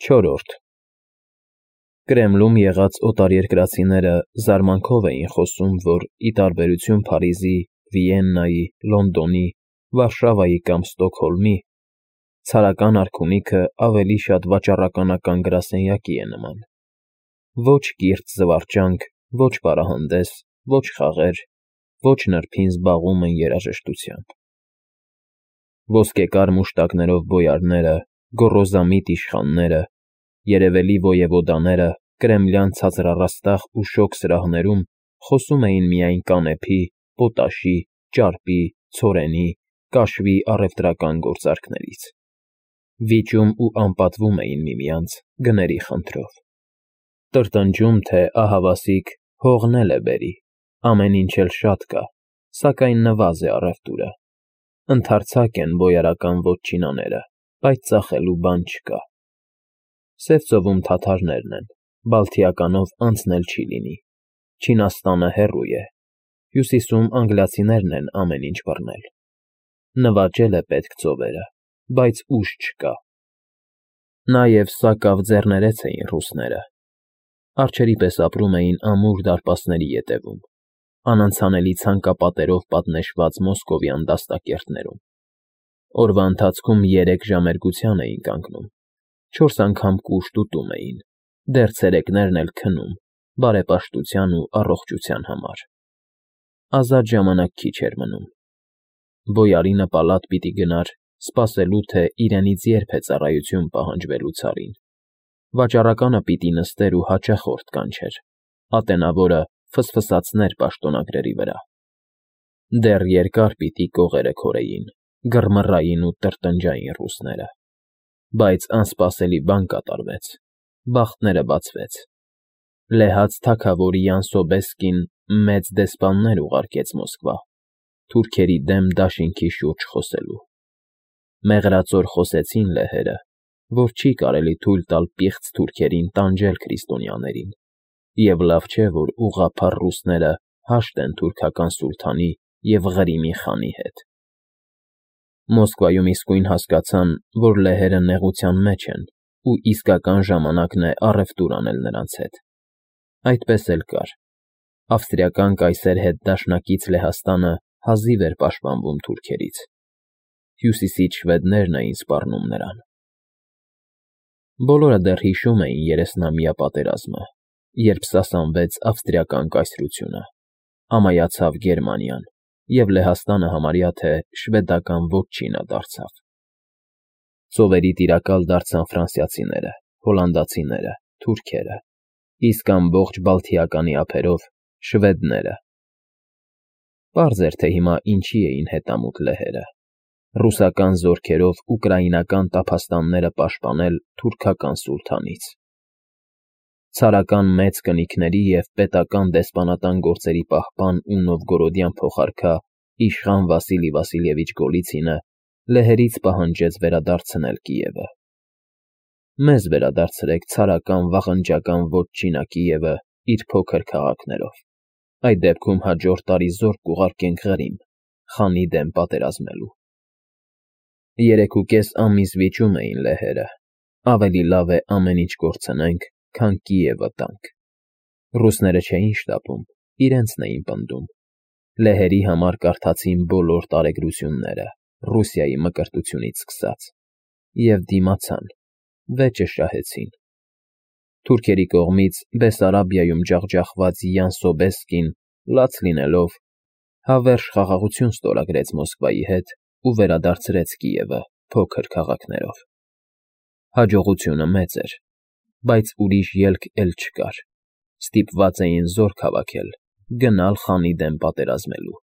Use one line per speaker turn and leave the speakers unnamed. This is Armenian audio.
4. Կրեմլում եղած օտարերկրացիները զարմանքով էին խոսում, որ, ի տարբերություն Փարիզի, Վիեննայի, Լոնդոնի, Վարշավայի կամ Ստոկհոլմի, ցարական արքունիքը ավելի շատ վաճառականական գրասենյակի է նման. ոչ կիրթ զվարճանք, ոչ պարահանդես, ոչ խաղեր, ոչ նրբին զբաղվում են երաժշտությամբ։ Ոսկեկար մուշտակներով բոյարները, գոռոզամիտ իշխանները, երևելի ոևոդաները կրեմլյան ցածրառաստաղ ու շոգ սրահներում խոսում էին միայն կանեփի, պոտաշի, ճարպի, ցորենի, կաշվի առևտրական գործարքներից, վիճում ու անպատվում էին միմյանց գների խնդրով, տրտնջում, թե ահավասիկ հողն էլ է բերի, ամեն ինչ էլ շատ կա, սակայն նվազ է առևտուրը, ընդարձակ են բոյարական վոտչինաները, բայց ծախելու բան չկա։ Սև ծովում թաթարներն են, Բալթիականով անցնել չի լինի, Չինաստանը հեռու է, Հյուսիսում անգլիացիներն են ամեն ինչ բռնել, նվաճել է պետք ծովերը, բայց ուժ չկա։ Նաև սակավ ձեռներեց էին ռուսները, արջերի պես ապրում էին ամուր դարպասների ետևում, անանցանելի ցանկապատերով պատնեշված մոսկովյան դաստակերտներում, օրվա ընթացքում 3 ժամերգության էին կանգնում, 4 անգամ կուշտ ուտում էին, դեռ ցերեկներն էլ քնում, բարեպաշտության ու առողջության համար։ Ազատ ժամանակ քիչ էր մնում։ Բոյարինը պալատ պիտի գնար, սպասելու, թե իրենից երբ է ծառայություն պահանջվելու ցարին։ Վաճառականը պիտի նստեր ու հաճախորդ կանչեր, ատենավորը ֆսֆսացներ պաշտոնագրերի վրա։ Դեռ երկար պիտի կողերը քորեին, գրմռային ու տրտնջային ռուսները։ Բայց անսպասելի բան կատարվեց, բախտները բացվեց։ Լեհած թագավոր Յան Սոբեսկին մեծ դեսպաններ ուղարկեց Մոսկվա, թուրքերի դեմ դաշինքի շուրջ խոսելու։ Մեղրածոր խոսեցին լեհերը, որ չի կարելի թույլ տալ պիղծ թուրքերին տանջել քրիստոնյաներին, և լավ չէ, որ ուղղափառ ռուսները հաշտ են թուրքական սուլթանի և Ղրիմի խանի հետ։ Մոսկվայում իսկույն հասկացան, որ լեհերը նեղության մեջ են ու իսկական ժամանակն է առևտուր անել նրանց հետ։ Այդպես էլ կար։ Ավստրիական կայսեր հետ դաշնակից Լեհաստանը հազիվ էր պաշտպանվում թուրքերից։ Հյուսիսից շվեդներն էին սպառնում նրան։ Բոլորը դեռ հիշում էին 30-ամյա պատերազմը, երբ սասանվեց ավստրիական կայսրությունը, ամայացավ Գերմանիան, և Լեհաստանը համարյա թե շվեդական վոտչինա դարձավ։ Ծովերի տիրակալ դարձան ֆրանսիացիները, հոլանդացիները, թուրքերը, իսկ ամբողջ Բալթիականի ափերով շվեդները։ Պարզ էր, թե հիմա ինչի էին հետամուտ լեհերը։ Ռուսական զորքերով ուկրաինական տափաստանները պաշտպանել թուրքական սուլթանից։ Ցարական մեծ կնիքների և պետական դեսպանատան գործերի պահպան ու Նովգորոդյան փոխարքա իշխան Վասիլի Վասիլևիչ Գոլիցինը լեհերից պահանջեց վերադարձնել Կիևը։ Մեզ վերադարձրեք ցարական վաղնջական վոտչինա Կիևը իր փոքր քաղաքներով, այդ դեպքում հաջորդ տարի զորք կուղարկենք Ղրիմ, խանի դեմ պատերազմելու։ 3.5 ամիս վիճում էին լեհերը, ավելի լավ է ամեն ինչ կորցնենք, քան Կիևը տանք։ Ռուսները չէին շտապում, իրենցն էին պնդում։ Լեհերի համար կարդացին բոլոր տարեգրությունները, Ռուսիայի մկրտությունից սկսած, և դիմացան, վեճը շահեցին։ Թուրքերի կողմից Բեսարաբիայում ջախջախված Յան Սոբեսկին, լաց լինելով, հավերժ խաղաղություն ստորագրեց Մոսկվայի հետ ու վերադարձրեց Կիևը փոքր քաղաքներով։ Հաջողությունը մեծ էր, բայց ուրիշ ելք էլ չկար։ Ստիպված էին զորք հավաքել, գնալ խանի դեմ պատերազմելու։